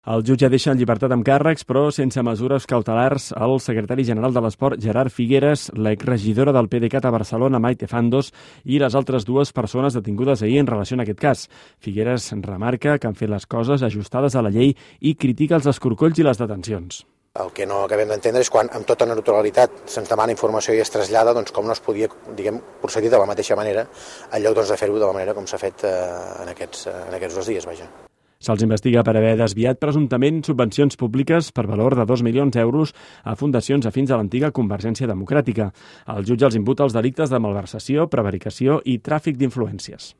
El jutge deixa en llibertat amb càrrecs, però sense mesures cautelars, el secretari general de l'Esport, Gerard Figueres, l'exregidora del PDeCAT a Barcelona, Maite Fandos, i les altres dues persones detingudes ahir en relació a aquest cas. Figueres remarca que han fet les coses ajustades a la llei i critica els escorcolls i les detencions. El que no acabem d'entendre és quan amb tota naturalitat se'ns demana informació i es trasllada, doncs com no es podia, procedir de la mateixa manera en lloc de fer-ho de la manera com s'ha fet en aquests 2 dies, vaja. Se'ls investiga per haver desviat presumptament subvencions públiques per valor de 2 milions d'euros a fundacions afins a l'antiga Convergència Democràtica. El jutge els imputa els delictes de malversació, prevaricació i tràfic d'influències.